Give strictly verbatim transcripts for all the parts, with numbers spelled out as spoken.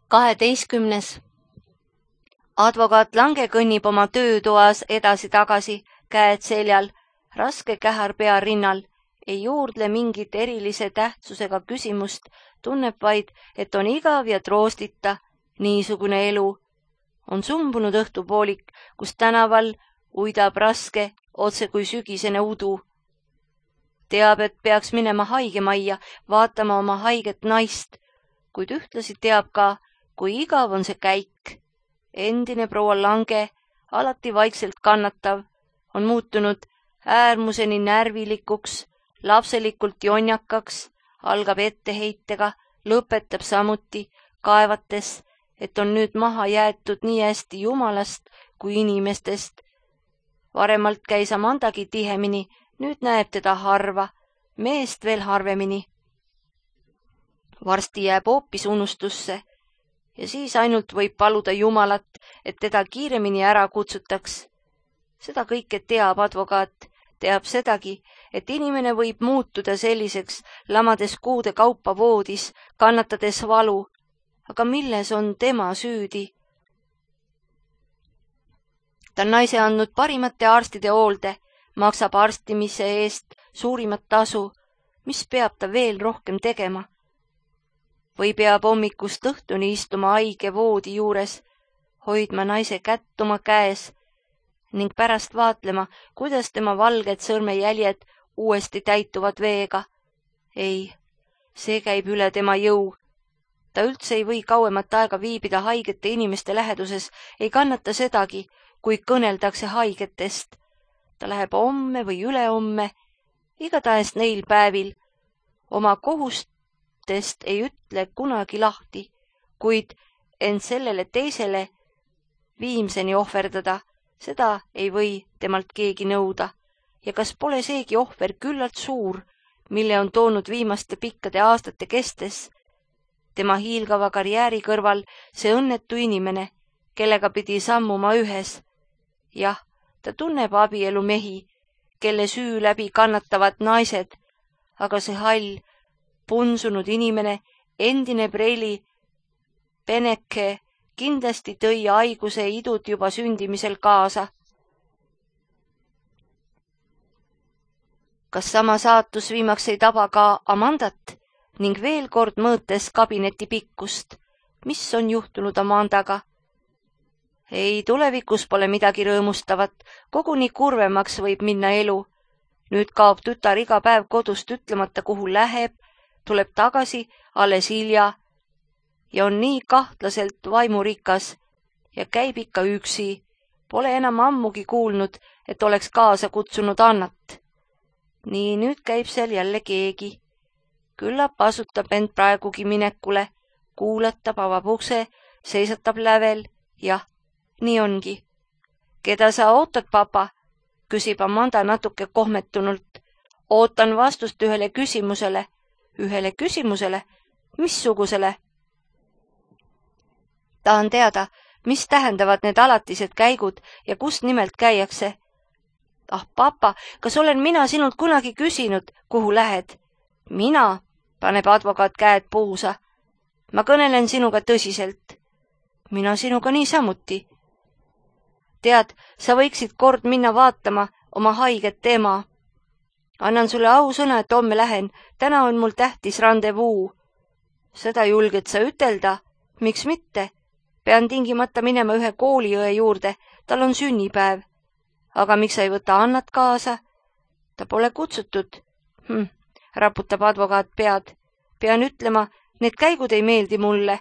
kaheteistkümnes. Advokaat Lange kõnnib oma töötoas edasi-tagasi, käed seljal, raske kähar pea rinnal, ei juurdle mingit erilise tähtsusega küsimust, tunneb vaid, et on igav ja troostita niisugune elu. On sumbunud õhtupoolik, kus tänaval uidab raske, otse kui sügisene udu. Teab, et peaks minema haigemajja, vaatama oma haiget naist, kuid ühtlasi teab ka, kui igav on see käik. Endine proua Lange, alati vaikselt kannatav, on muutunud äärmuseni närvilikuks, lapselikult jonjakaks, algab etteheitega, lõpetab samuti, kaevates, et on nüüd maha jäetud nii hästi jumalast kui inimestest. Varemalt käis Amandagi tihemini, nüüd näeb teda harva, meest veel harvemini. Varsti jääb hoopis unustusse ja siis ainult võib paluda Jumalat, et teda kiiremini ära kutsutaks. Seda kõike teab advokaat, teab sedagi, et inimene võib muutuda selliseks, lamades kuude kaupa voodis, kannatades valu, aga milles on tema süüdi? Ta on naise andnud parimate arstide hoolde, maksab arstimise eest suurimat tasu, mis peab ta veel rohkem tegema? Või peab hommikust õhtuni istuma haige voodi juures, hoidma naise kätt oma käes ning pärast vaatlema, kuidas tema valged sõrmejäljed uuesti täituvad veega. Ei, see käib üle tema jõu. Ta üldse ei või kauemat aega viibida haigete inimeste läheduses, ei kannata sedagi, kui kõneldakse haigetest. Ta läheb homme või ülehomme, igatahes neil päevil, oma kohustest ei ütle kunagi lahti, kuid end sellele teisele viimseni ohverdada, seda ei või temalt keegi nõuda. Ja kas pole seegi ohver küllalt suur, mille on toonud viimaste pikkade aastate kestes? Tema hiilgava karjääri kõrval see õnnetu inimene, kellega pidi sammuma ühes. Jah, ta tunneb abielu mehi, kelle süü läbi kannatavad naised, aga see hall, punsunud inimene, endine preili peneke, kindlasti tõi haiguse idud juba sündimisel kaasa. Kas sama saatus viimaks ei taba ka Amandat ning veel kord mõõtes kabineti pikkust? Mis on juhtunud Amandaga? Ei, tulevikus pole midagi rõõmustavat, koguni kurvemaks võib minna elu. Nüüd kaob tütar iga päev kodust ütlemata, kuhu läheb, tuleb tagasi alles hilja ja on nii kahtlaselt vaimurikas ja käib ikka üksi. Pole enam ammugi kuulnud, et oleks kaasa kutsunud Annat. Nii, nüüd käib seal jälle keegi. Küllap asutab end praegugi minekule, kuulatab, avab ukse, seisatab lävel, jah, nii ongi. Keda sa ootad, papa? Küsib Amanda natuke kohmetunult. Ootan vastust ühele küsimusele. Ühele küsimusele? Missugusele? Tahan teada, mis tähendavad need alatised käigud ja kust nimelt käiakse. Ah, papa, kas olen mina sinult kunagi küsinud, kuhu lähed? Mina, paneb advokaat käed puusa. Ma kõnelen sinuga tõsiselt. Mina sinuga niisamuti. Tead, sa võiksid kord minna vaatama oma haiget ema. Annan sulle ausõna, et homme lähen. Täna on mul tähtis randevuu. Seda julged sa ütelda? Miks mitte? Pean tingimata minema ühe kooliõe juurde. Tal on sünnipäev. Aga miks sa ei võta Annat kaasa? Ta pole kutsutud. Hm, raputab advokaat pead. Pean ütlema, need käigud ei meeldi mulle.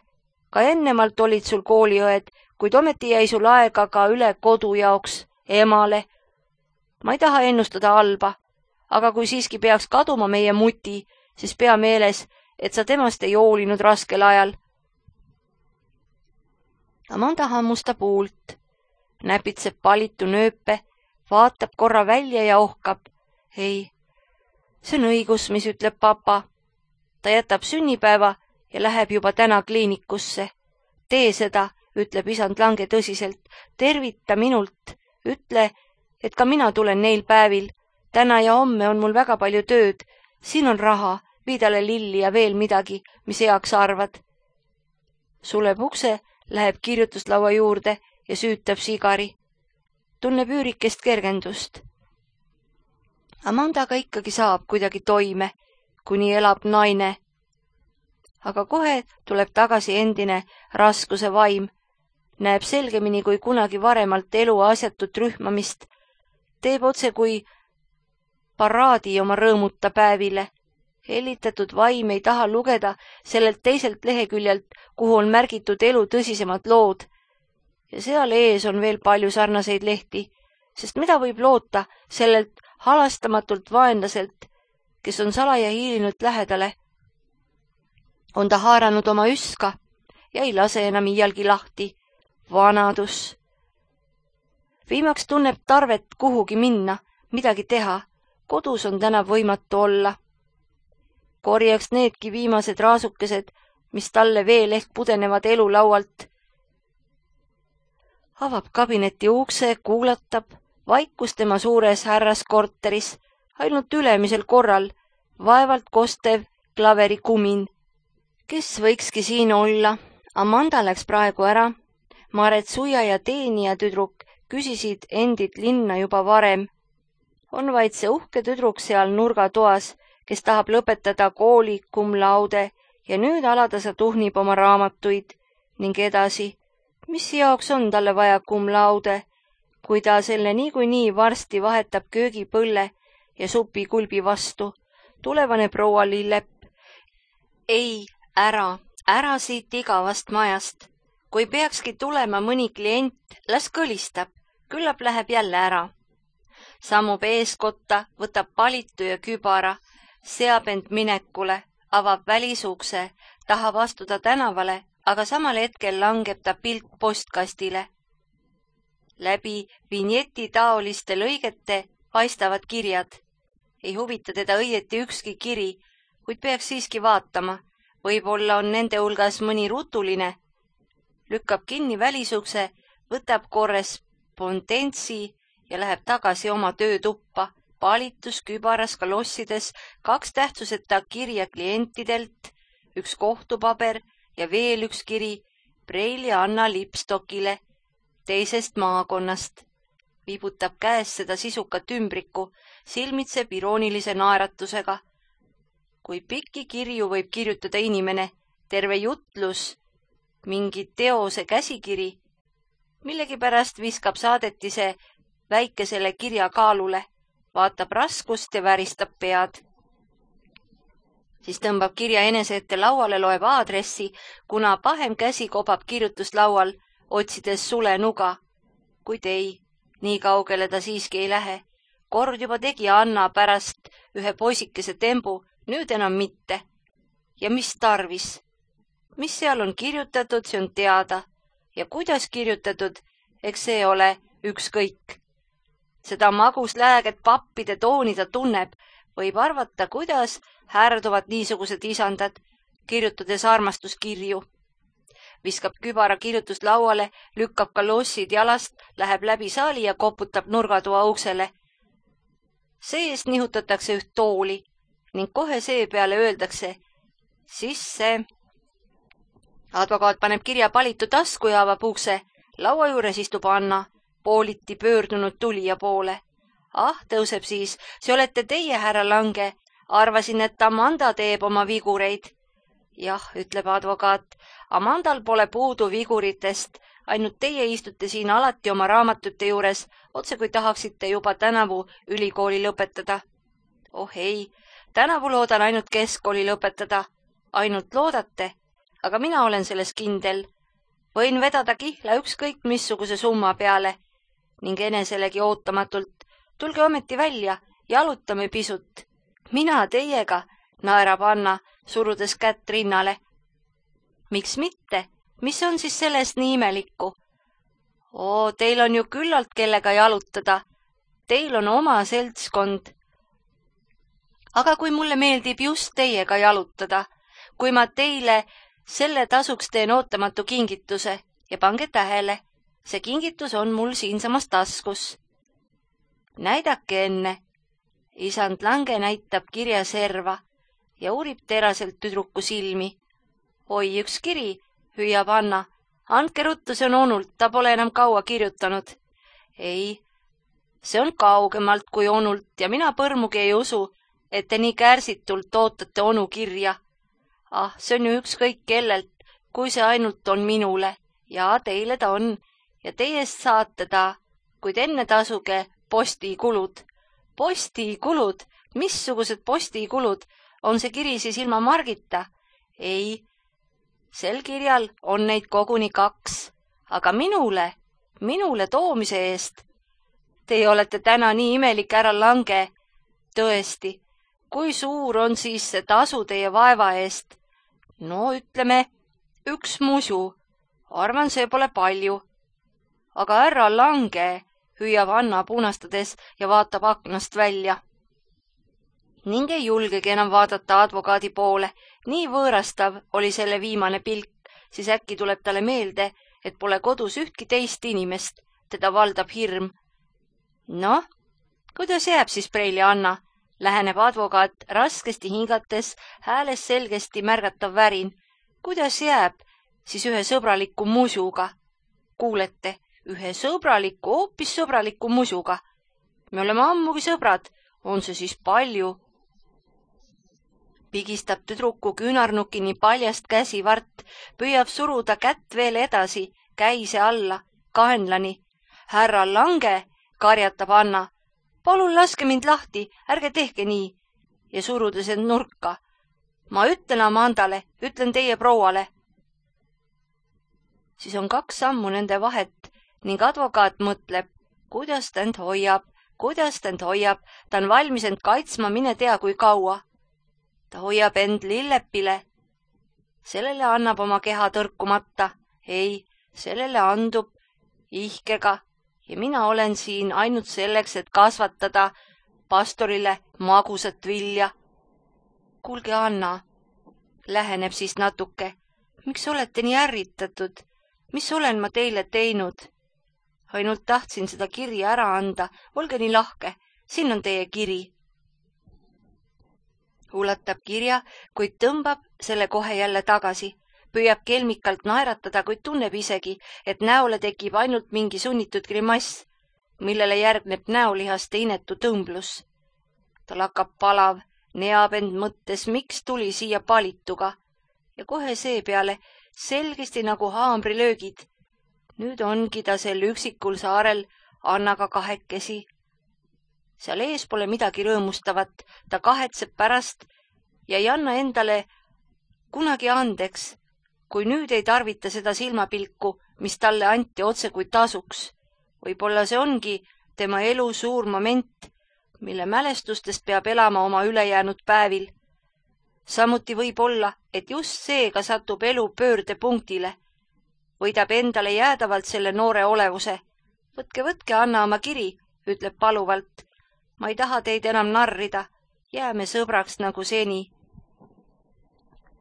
Ka ennemalt olid sul kooliõed, kuid ometi jäi sul aega ka üle kodu jaoks, emale. Ma ei taha ennustada halba, aga kui siiski peaks kaduma meie muti, siis pea meeles, et sa temast ei hoolinud raskel ajal. Amanda hammustab huult, näpitseb palitu nööpe, vaatab korra välja ja ohkab. Ei, see on õigus, mis ütleb papa. Ta jätab sünnipäeva ja läheb juba täna kliinikusse. Tee seda, ütleb isand Lange tõsiselt. Tervita minult. Ütle, et ka mina tulen neil päevil. Täna ja homme on mul väga palju tööd. Siin on raha, vii talle lilli ja veel midagi, mis heaks arvad. suleb ukse, läheb kirjutuslaua juurde ja süütab sigari. Tunneb üürikest kergendust. Amandaga ikkagi saab kuidagi toime, kuni elab naine. Aga kohe tuleb tagasi endine raskuse vaim, näeb selgemini kui kunagi varemalt elu asjatut rühmamist, teeb otse kui paraadi oma rõõmuta päevile. Hellitatud vaim ei taha lugeda sellelt teiselt leheküljelt, kuhu on märgitud elu tõsisemad lood. Ja seal ees on veel palju sarnaseid lehti, sest mida võib loota sellelt halastamatult vaenlaselt, kes on salaja hiilinud lähedale. On ta haaranud oma üska ja ei lase enam iialgi lahti. Vanadus. Viimaks tunneb tarvet kuhugi minna, midagi teha. Kodus on täna võimatu olla. Korjaks needki viimased raasukesed, mis talle veel ehk pudenevad elu laualt. Avab kabineti ukse, kuulatab, vaikus tema suures härraskorteris, ainult ülemisel korral, vaevalt kostev klaveri kumin. Kes võikski siin olla? Amanda läks praegu ära. Maret Suia ja teenija tüdruk küsisid endid linna juba varem. On vaid see uhke tüdruk seal nurgatoas, kes tahab lõpetada kooli cum laude ja nüüd alatasa tuhnib oma raamatuid ning edasi. Mis jaoks on talle vaja cum laude, kui ta selle niikuinii varsti vahetab köögipõlle ja supikulbi vastu? Tulevane proua Lillepp. Ei, ära, ära siit igavast majast. Kui peakski tulema mõni klient, las kõlistab, küllap läheb jälle ära. Sammub eeskotta, võtab palitu ja kübara, seab end minekule, avab välisukse, tahab astuda tänavale, aga samal hetkel langeb ta pilk postkastile. Läbi vinjeti taoliste lõigete paistavad kirjad. Ei huvita teda õieti ükski kiri, kuid peaks siiski vaatama. Võib-olla on nende hulgas mõni rutuline. Lükkab kinni välisukse, võtab korrespondentsi ja läheb tagasi oma töötuppa. Palitus kübaras kalossides, kaks tähtsuseta kirja klientidelt, üks kohtupaber ja veel üks kiri Preili Anna Lipstokile teisest maakonnast. Viibutab käes seda sisukat ümbriku, silmitseb iroonilise naeratusega. Kui pikki kirju võib kirjutada inimene, terve jutlus, mingi teose käsikiri, millegipärast viskab saadetise väikesele kirja kaalule, vaatab raskust ja väristab pead. Siis tõmbab kirja enese ette lauale, loeb aadressi, kuna pahem käsi kobab kirjutuslaual, otsides sule nuga. Kuid ei, nii kaugele ta siiski ei lähe. Kord juba tegi Anna pärast ühe poisikese tembu, nüüd enam mitte. Ja mis tarvis? Mis seal on kirjutatud, see on teada. Ja kuidas kirjutatud, eks see ole ükskõik. Seda maguslääget pappide tooni ta tunneb, võib arvata, kuidas häärduvad niisugused isandad, kirjutades armastuskirju. Viskab kübara kirjutuslauale, lükkab kalossid jalast, läheb läbi saali ja koputab nurgatoa uksele. Seest nihutatakse üht tooli ning kohe seepeale öeldakse sisse. Advokaat paneb kirja palitu tasku ja avab ukse. Laua juures istub Anna, pooliti pöördunud tulija poole. Ah, tõuseb siis, see olete teie, härra Lange. Arvasin, et Amanda teeb oma vigureid. Jah, ütleb advokaat, Amandal pole puudu viguritest, ainult teie istute siin alati oma raamatute juures, otse kui tahaksite juba tänavu ülikooli lõpetada. Oh ei, tänavu loodan ainult keskkooli lõpetada. Ainult loodate, aga mina olen selles kindel. Võin vedada kihla ükskõik missuguse summa peale ning eneselegi ootamatult. Tulge ometi välja, jalutame pisut. Mina teiega, naerab Anna, surudes kätt rinnale. Miks mitte? Mis on siis sellest nii imelikku? Oo, teil on ju küllalt kellega jalutada. Teil on oma seltskond. Aga kui mulle meeldib just teiega jalutada, kui ma teile selle tasuks teen ootamatu kingituse ja pange tähele, see kingitus on mul siinsamas taskus. Näidake enne. Isand Lange näitab kirja serva ja uurib teraselt tüdruku silmi. Oi, üks kiri, hüüab Anna. Andke ruttu, see on onult, ta pole enam kaua kirjutanud. Ei, see on kaugemalt kui onult ja mina põrmugi ei usu, et te nii kärsitult ootate onu kirja. Ah, see on ju ükskõik kellelt, kui see ainult on minule. Ja teile ta on ja teiest saate ta, kuid enne tasuge postikulud. Postikulud? Missugused postikulud? On see kiri siis ilma margita? Ei, sel kirjal on neid koguni kaks, aga minule, minule toomise eest. Teie olete täna nii imelik, härra Lange. Tõesti, kui suur on siis see tasu teie vaeva eest? No ütleme, üks musu. Arvan, see pole palju. Aga härra Lange, hüüab Anna punastades ja vaatab aknast välja. Ning ei julgegi enam vaadata advokaadi poole. Nii võõrastav oli selle viimane pilk, siis äkki tuleb talle meelde, et pole kodus ühtki teist inimest. Teda valdab hirm. Noh, kuidas jääb siis Preili Anna? Läheneb advokaat raskesti hingates, hääles selgesti märgatav värin. Kuidas jääb siis ühe sõbraliku musuga? Kuulete, ühe sõbraliku, hoopis sõbraliku musuga. Me oleme ammugi sõbrad. On see siis palju? Pigistab tüdruku küünarnukini paljast käsivart, püüab suruda kätt veel edasi, käise alla, kaenlani. Härra Lange, karjatab Anna. Palun laske mind lahti, ärge tehke nii. Ja surudes end nurka. Ma ütlen Amandale, ütlen teie prouale. Siis on kaks sammu nende vahet ning advokaat mõtleb, kuidas ta end hoiab, kuidas ta end hoiab, ta on valmis end kaitsma, mine tea kui kaua. Ta hoiab end lillepile. Sellele annab oma keha tõrkumata. Ei, sellele andub ihkega ja mina olen siin ainult selleks, et kasvatada pastorile magusat vilja. Kuulge, Anna, läheneb siis natuke. Miks olete nii ärritatud? Mis olen ma teile teinud? Ainult tahtsin seda kirja ära anda. Olge nii lahke. Siin on teie kiri. Ulatab kirja, kuid tõmbab selle kohe jälle tagasi. Püüab kelmikalt naeratada, kuid tunneb isegi, et näole tekib ainult mingi sunnitud grimass, millele järgneb näolihaste inetu tõmblus. Tal hakkab palav, neab end mõttes, miks tuli siia palituga. Ja kohe seepeale selgesti nagu haamrilöögid. Nüüd ongi ta sel üksikul saarel Annaga kahekesi. Seal ees pole midagi rõõmustavat, ta kahetseb pärast ja ei anna endale kunagi andeks, kui nüüd ei tarvita seda silmapilku, mis talle anti otse kui tasuks. Võib-olla see ongi tema elu suur moment, mille mälestustest peab elama oma ülejäänud päevil. Samuti võib olla, et just seega satub elu pöördepunktile. Võidab endale jäädavalt selle noore olevuse. Võtke, võtke, Anna oma kiri, ütleb paluvalt. Ma ei taha teid enam narrida. Jääme sõbraks nagu seni.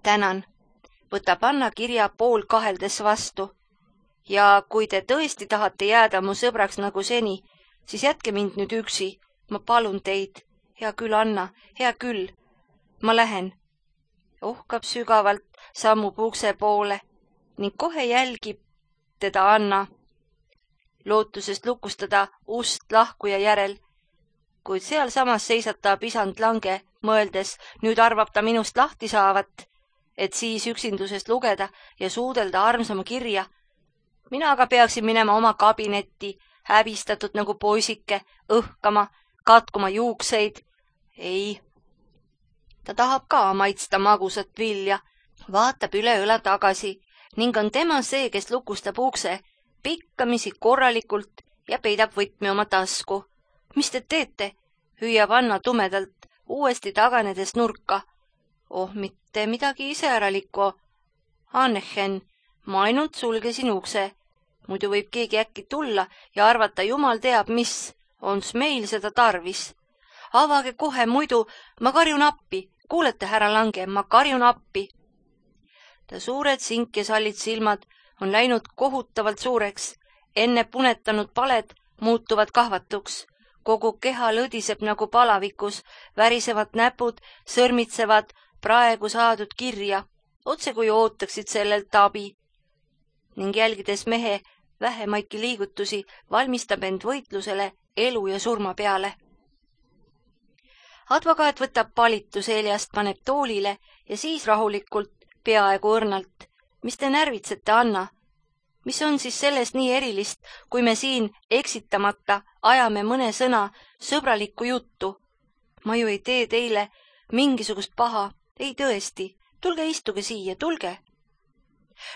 Tänan. Võtab Anna kirja pool kaheldes vastu. Ja kui te tõesti tahate jääda mu sõbraks nagu seni, siis jätke mind nüüd üksi. Ma palun teid. Hea küll, Anna, hea küll. Ma lähen. Ohkab sügavalt, sammub ukse poole ning kohe jälgib teda Anna, lootusest lukustada ust lahkuja järel. Kuid seal samas seisatab isand Lange, mõeldes, nüüd arvab ta minust lahti saavat, et siis üksindusest lugeda ja suudelda armsama kirja. Mina aga peaksin minema oma kabinetti, häbistatud nagu poisike, õhkama, katkuma juukseid. Ei, ta tahab ka maitsta magusat vilja, vaatab üle õla tagasi ning on tema see, kes lukustab ukse, pikkamisi korralikult ja peidab võtme oma tasku. Mis te teete? Hüüab Anna tumedalt, uuesti taganedes nurka. Oh, mitte midagi iseäralikku. Annehen, ma ainult sulgesin ukse. Muidu võib keegi äkki tulla ja arvata, jumal teab mis, ons meil seda tarvis. Avage kohe, muidu ma karjun appi. Kuulete, härra Lange, ma karjun appi. Ta suured sink ja sallid silmad on läinud kohutavalt suureks. Enne punetanud paled muutuvad kahvatuks. Kogu keha lõdiseb nagu palavikus, värisevad näpud sõrmitsevad praegu saadud kirja, otse kui ootaksid sellelt abi. ning jälgides mehe vähemaidki liigutusi, valmistab end võitlusele elu ja surma peale. Advokaat võtab palitu seljast, paneb toolile ja siis rahulikult, peaaegu õrnalt. Mis te närvitsete, Anna? Mis on siis selles nii erilist, kui me siin eksitamata ajame mõne sõna sõbralikku juttu? Ma ju ei tee teile mingisugust paha. Ei tõesti, tulge istuge siia, tulge.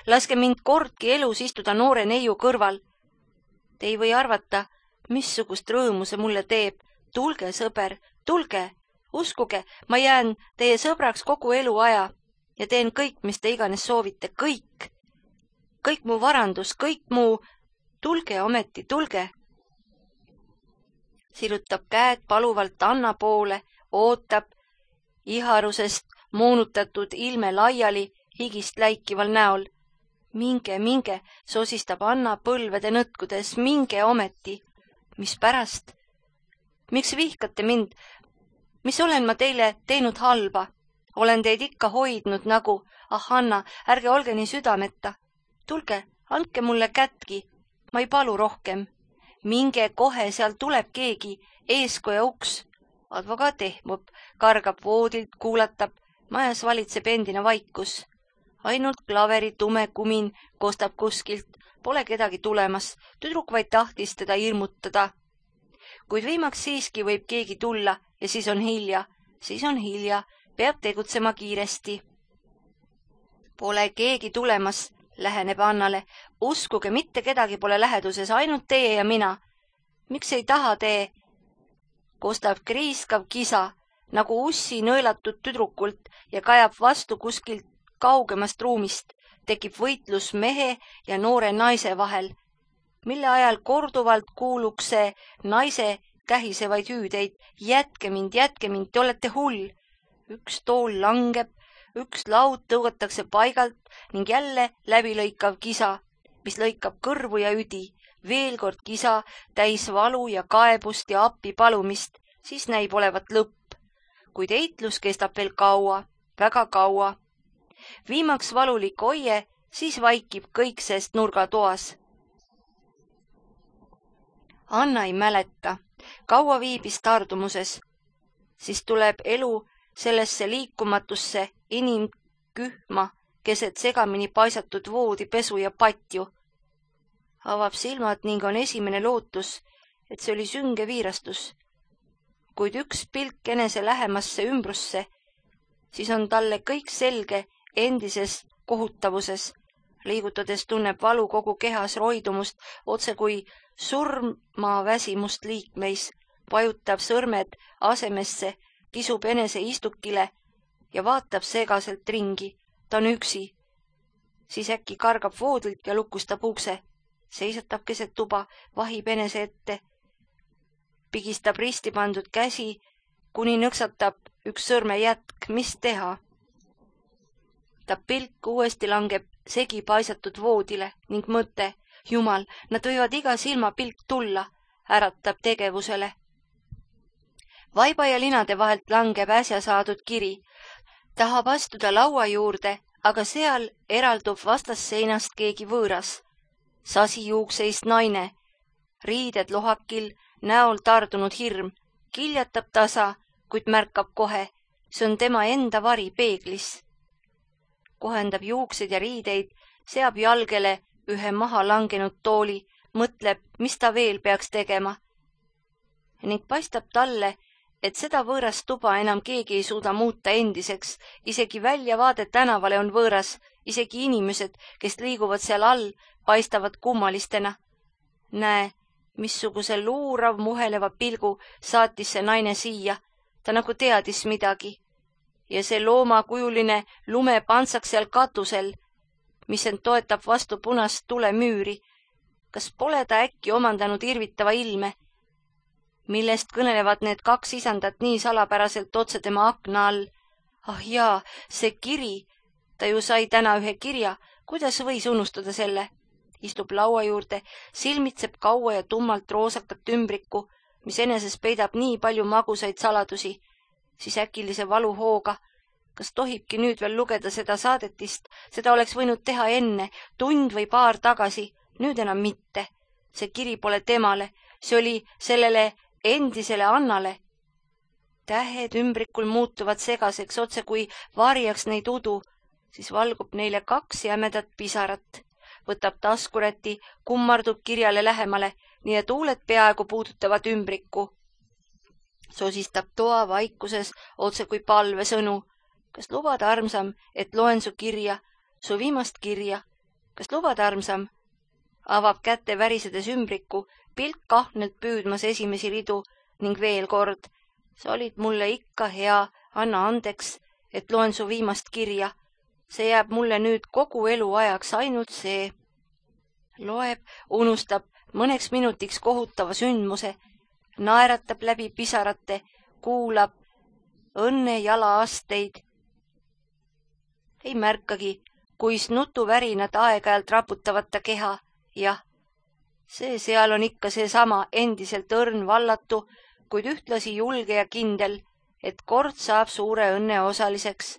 Laske mind kordki elus istuda noore neiu kõrval. Te ei või arvata, missugust rõõmu see mulle teeb. Tulge, sõber, tulge. Uskuge, ma jään teie sõbraks kogu elu aja ja teen kõik, mis te iganes soovite, kõik. Kõik mu varandus, kõik mu... Tulge ometi, tulge. Sirutab käed paluvalt Anna poole, ootab, iharusest moonutatud ilme laiali higist läikival näol. Minge, minge, sosistab Anna põlvede nõtkudes, minge ometi. Mis pärast? Miks vihkate mind? Mis olen ma teile teinud halba? Olen teid ikka hoidnud nagu, ah Anna, ärge olge nii südameta. Tulge, andke mulle kätki, ma ei palu rohkem. Minge kohe, seal tuleb keegi, eeskoja uks. Advokaat ehmub, kargab voodilt, kuulatab, majas valitseb endine vaikus. Ainult klaveri tume kumin kostab kuskilt, pole kedagi tulemas, tüdruk vaid tahtis teda hirmutada. Kuid viimaks siiski võib keegi tulla ja siis on hilja, siis on hilja, peab tegutsema kiiresti. Pole keegi tulemas, läheneb Annale. Uskuge, mitte kedagi pole läheduses, ainult teie ja mina. Miks ei taha tee? Kostab kriiskav kisa, nagu ussi nõelatud tüdrukult ja kajab vastu kuskilt kaugemast ruumist. Tekib võitlus mehe ja noore naise vahel, mille ajal korduvalt kuuluks see naise kähisevaid hüüdeid. Jätke mind, jätke mind, te olete hull. Üks tool langeb, üks laud tõugatakse paigalt ning jälle läbilõikav kisa, mis lõikab kõrvu ja üdi. Veel kord kisa, täis valu ja kaebust ja appi palumist, siis näib olevat lõpp. Kuid eitlus kestab veel kaua, väga kaua. Viimaks valulik oie, siis vaikib kõik sest nurgatoas. Anna ei mäleta, kaua viibis tardumuses. Siis tuleb elu sellesse liikumatusse inimkühma keset segamini paisatud voodi, pesu ja patju. Avab silmad ning on esimene lootus, et see oli sünge viirastus. Kuid üks pilk enese lähemasse ümbrusse, siis on talle kõik selge endises kohutavuses. Liigutades tunneb valu kogu kehas roidumust, otse kui surmaväsimust liikmeis, vajutab sõrmed asemesse, kisub enese istukile ja vaatab segaselt ringi. Ta on üksi. Siis äkki kargab voodilt ja lukustab ukse. Seisatab keset tuba, vahib enese ette. Pigistab risti pandud käsi, kuni nõksatab üks sõrme jätk. Mis teha? Ta pilk uuesti langeb segi paisatud voodile ning mõte. Jumal, nad võivad iga silma pilk tulla, äratab tegevusele. Vaiba ja linade vahelt langeb äsja saadud kiri. Tahab astuda laua juurde, aga seal eraldub vastasseinast keegi võõras. Sasijuukseist naine, riided lohakil, näol tardunud hirm, kiljatab tasa, kuid märkab kohe, see on tema enda vari peeglis. Kohendab juuksed ja riideid, seab jalgele ühe maha langenud tooli, mõtleb, mis ta veel peaks tegema. Ning paistab talle, et seda võõrast tuba enam keegi ei suuda muuta endiseks, isegi väljavaade tänavale on võõras, isegi inimesed, kes liiguvad seal all, paistavad kummalistena. Näe, missuguse luurav muheleva pilgu saatis see naine siia, ta nagu teadis midagi. Ja see loomakujuline lumepantsaks seal katusel, mis end toetab vastu punast tulemüüri. Kas pole ta äkki omandanud irvitava ilme, millest kõnelevad need kaks isandat nii salapäraselt otse tema akna all? Ah jaa, see kiri, ta ju sai täna ühe kirja, kuidas võis unustada selle? Istub laua juurde, silmitseb kaua ja tummalt roosakat ümbriku, mis eneses peidab nii palju magusaid saladusi, siis äkilise valuhooga. Kas tohibki nüüd veel lugeda seda saadetist? Seda oleks võinud teha enne, tund või paar tagasi. Nüüd enam mitte. See kiri pole temale. See oli sellele endisele Annale. Tähed ümbrikul muutuvad segaseks, otse kui varjaks neid udu. Siis valgub neile kaks jämedat pisarat. Võtab taskuräti, kummardub kirjale lähemale, nii et huuled peaaegu puudutavad ümbrikku. Sosistab toa vaikuses otse kui palvesõnu. Kas lubad, armsam, et loen su kirja, su viimast kirja? Kas lubad, armsam? Avab kätte värisedes ümbriku, pilk kahnelt püüdmas esimesi ridu ning veel kord. Sa olid mulle ikka hea, anna andeks, et loen su viimast kirja. See jääb mulle nüüd kogu elu ajaks ainult see. Loeb, unustab mõneks minutiks kohutava sündmuse, naeratab läbi pisarate, kuulab õnne jalaasteid. Ei märkagi, kuis nutuvärinad aeg-ajalt raputavad ta keha. Jah, see seal on ikka seesama endiselt õrn vallatu, kuid ühtlasi julge ja kindel, et kord saab suure õnne osaliseks.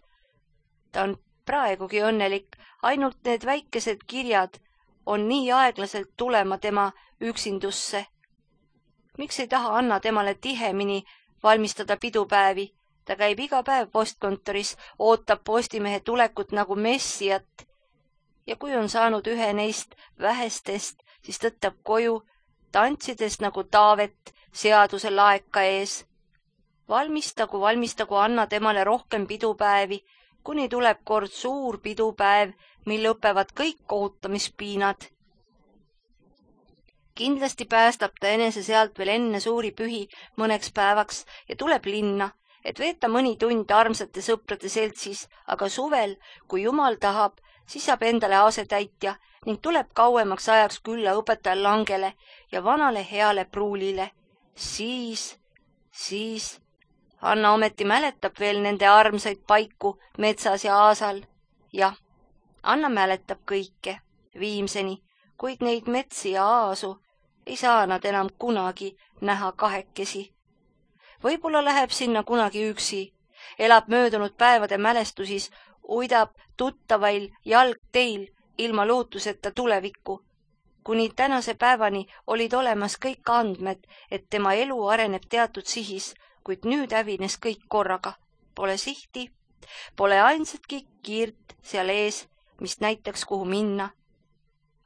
Ta on praegugi õnnelik, ainult need väikesed kirjad on nii aeglaselt tulema tema üksindusse. Miks ei taha Anna temale tihemini valmistada pidupäevi? Ta käib iga päev postkontoris, ootab postimehe tulekut nagu messijat. Ja kui on saanud ühe neist vähestest, siis tõttab koju, tantsides nagu Taavet seaduse laeka ees. Valmistagu, valmistagu Anna temale rohkem pidupäevi, kuni tuleb kord suur pidupäev, mil lõpevad kõik kohutamispiinad. Kindlasti päästab ta enese sealt veel enne suuri pühi mõneks päevaks ja tuleb linna, et veeta mõni tund armsate sõprade seltsis, aga suvel, kui jumal tahab, siis saab endale asetäitja ning tuleb kauemaks ajaks külla õpetajal Langele ja vanale heale pruulile. Siis, siis Anna ometi mäletab veel nende armsaid paiku metsas ja aasal. Jah, Anna mäletab kõike viimseni, kuid neid metsi ja aasu ei saa nad enam kunagi näha kahekesi. Võib-olla läheb sinna kunagi üksi, elab möödunud päevade mälestusis, uidab tuttavail jalgteil ilma lootuseta tulevikku. Kuni tänase päevani olid olemas kõik andmed, et tema elu areneb teatud sihis, kuid nüüd hävines kõik korraga. Pole sihti, pole ainsatki kiirt seal ees, mis näitaks kuhu minna.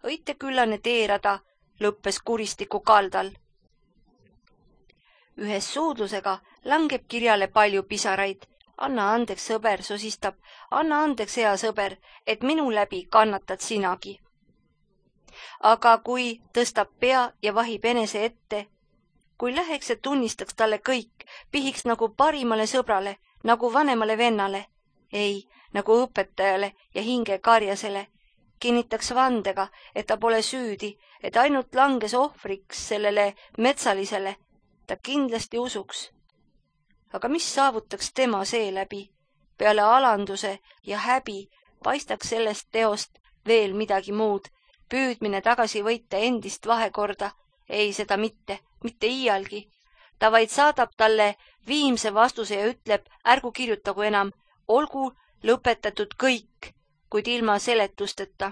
Õiteküllane teerada lõppes kuristiku kaldal. Ühes suudlusega langeb kirjale palju pisaraid. Anna andeks, sõber, sosistab. Anna andeks, hea sõber, et minu läbi kannatad sinagi. Aga kui tõstab pea ja vahib enese ette, kui läheks ja tunnistaks talle kõik, pihiks nagu parimale sõbrale, nagu vanemale vennale, ei, nagu õpetajale ja hingekarjasele, kinnitaks vandega, et ta pole süüdi, et ainult langes ohvriks sellele metsalisele, ta kindlasti usuks. Aga mis saavutaks tema seeläbi? Peale alanduse ja häbi paistaks sellest teost veel midagi muud, püüdmine tagasi võita endist vahekorda. Ei, seda mitte, mitte iialgi. Ta vaid saadab talle viimse vastuse ja ütleb, ärgu kirjutagu enam, olgu lõpetatud kõik, kuid ilma seletusteta.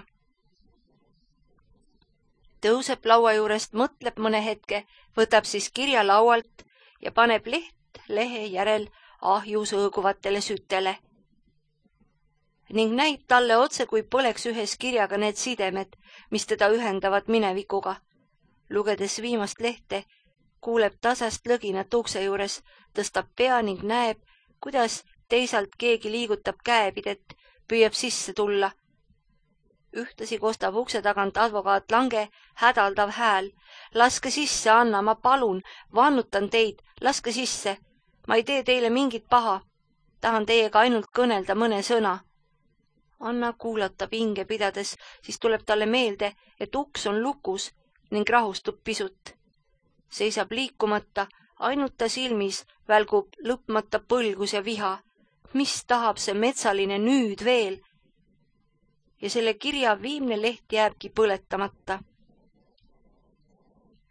Tõuseb laua juurest, mõtleb mõne hetke, võtab siis kirja laualt ja paneb leht lehe järel ahjus õõguvatele sütele. Ning näib talle otse, kui põleks ühes kirjaga need sidemed, mis teda ühendavad minevikuga. Lugedes viimast lehte, kuuleb tasast lõginat ukse juures, tõstab pea ning näeb, kuidas teisalt keegi liigutab käepidet, püüab sisse tulla. Ühtlasi kostab ukse tagant advokaat Lange hädaldav hääl. Laske sisse, Anna, ma palun, vannutan teid, laske sisse. Ma ei tee teile mingit paha. Tahan teiega ainult kõnelda mõne sõna. Anna kuulatab hinge pidades, siis tuleb talle meelde, et uks on lukus ning rahustub pisut. Seisab liikumata, ainult ta silmis välgub lõpmata põlgus ja viha. Mis tahab see metsaline nüüd veel? Ja selle kirja viimne leht jääbki põletamata.